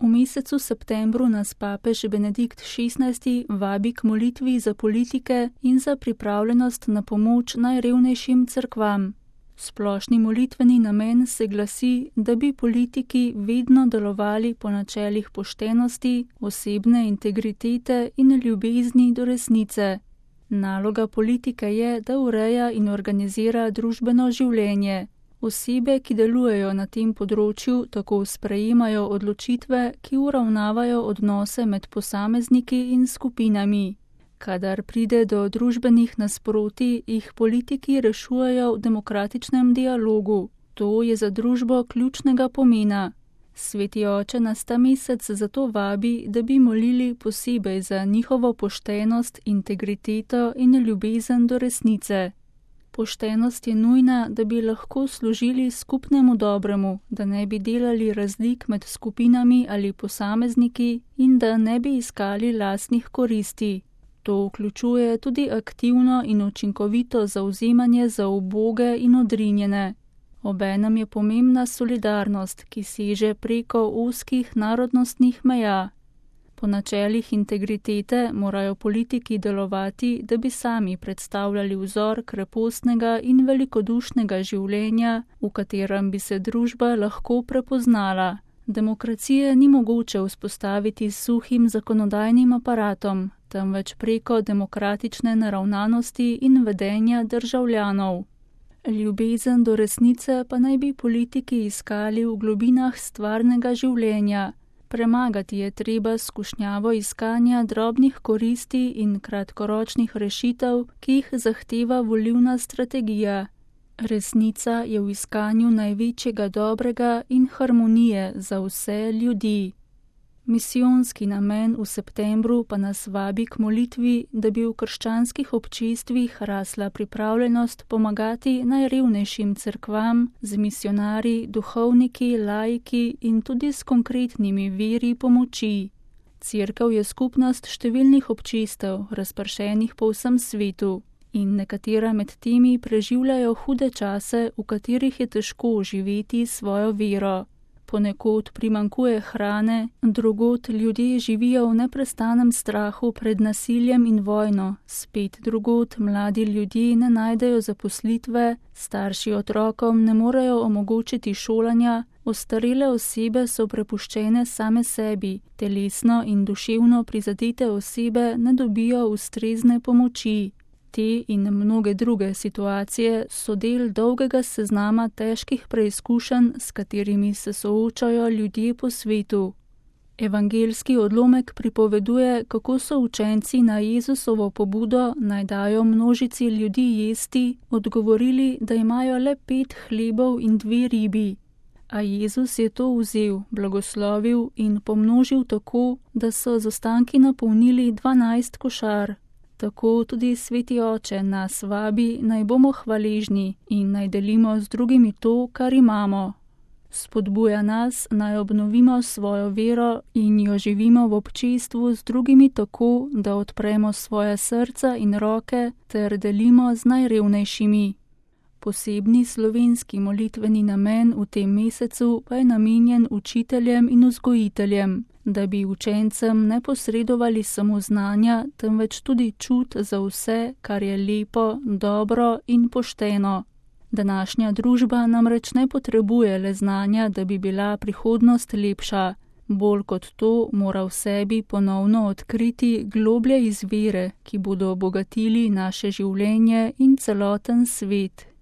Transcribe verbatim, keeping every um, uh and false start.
V mesecu septembru nas papež Benedikt šestnajsti vabi k molitvi za politike in za pripravljenost na pomoč najrevnejšim cerkvam. Splošni molitveni namen se glasi, da bi politiki vedno delovali po načelih poštenosti, osebne integritete in ljubezni do resnice. Naloga politike je, da ureja in organizira družbeno življenje. Osebe, ki delujejo na tem področju, tako sprejemajo odločitve, ki uravnavajo odnose med posamezniki in skupinami. Kadar pride do družbenih nasprotij, jih politiki rešujejo v demokratičnem dialogu. To je za družbo ključnega pomena. Sveti oče nas ta mesec zato vabi, da bi molili posebej za njihovo poštenost, integriteto in ljubezen do resnice. Poštenost je nujna, da bi lahko služili skupnemu dobremu, da ne bi delali razlik med skupinami ali posamezniki in da ne bi iskali lastnih koristi. To vključuje tudi aktivno in učinkovito zavzemanje za uboge in odrinjene. Obenem je pomembna solidarnost, ki seže preko ozkih narodnostnih meja. Po načelih integritete morajo politiki delovati, da bi sami predstavljali vzor krepostnega in velikodušnega življenja, v katerem bi se družba lahko prepoznala. Demokracije ni mogoče vzpostaviti s suhim zakonodajnim aparatom, temveč preko demokratične naravnanosti in vedenja državljanov. Ljubezen do resnice pa naj bi politiki iskali v globinah stvarnega življenja. Premagati je treba skušnjavo iskanja drobnih koristi in kratkoročnih rešitev, ki jih zahteva volilna strategija. Resnica je v iskanju največjega dobrega in harmonije za vse ljudi. Misijonski namen v septembru pa nas vabi k molitvi, da bi v krščanskih občestvih rasla pripravljenost pomagati najrevnejšim cerkvam z misionarji, duhovniki, laiki in tudi s konkretnimi viri pomoči. Cerkev je skupnost številnih občestev, razpršenih po vsem svetu, in nekatera med temi preživljajo hude čase, v katerih je težko živeti svojo vero. Ponekod primanjkuje hrane, drugod ljudje živijo v neprestanem strahu pred nasiljem in vojno, spet drugod mladi ljudje ne najdejo zaposlitve, starši otrokom ne morejo omogočiti šolanja, ostarele osebe so prepuščene same sebi, telesno in duševno prizadete osebe ne dobijo ustrezne pomoči. Te in mnoge druge situacije so del dolgega seznama težkih preizkušenj, s katerimi se soočajo ljudje po svetu. Evangeljski odlomek pripoveduje, kako so učenci na Jezusovo pobudo, naj dajo množici ljudi jesti, odgovorili, da imajo le pet hlebov in dve ribi. A Jezus je to vzel, blagoslovil in pomnožil tako, da so z ostanki napolnili dvanajst košar. Tako tudi Sveti Oče nas vabi, naj bomo hvaležni in naj delimo z drugimi to, kar imamo. Spodbuja nas, naj obnovimo svojo vero in jo živimo v občestvu z drugimi tako, da odpremo svoje srca in roke ter delimo z najrevnejšimi. Posebni slovenski molitveni namen v tem mesecu pa je namenjen učiteljem in vzgojiteljem, da bi učencem ne posredovali samo znanja, temveč tudi čut za vse, kar je lepo, dobro in pošteno. Današnja družba namreč ne potrebuje le znanja, da bi bila prihodnost lepša. Bolj kot to mora v sebi ponovno odkriti globlje izvire, ki bodo obogatili naše življenje in celoten svet.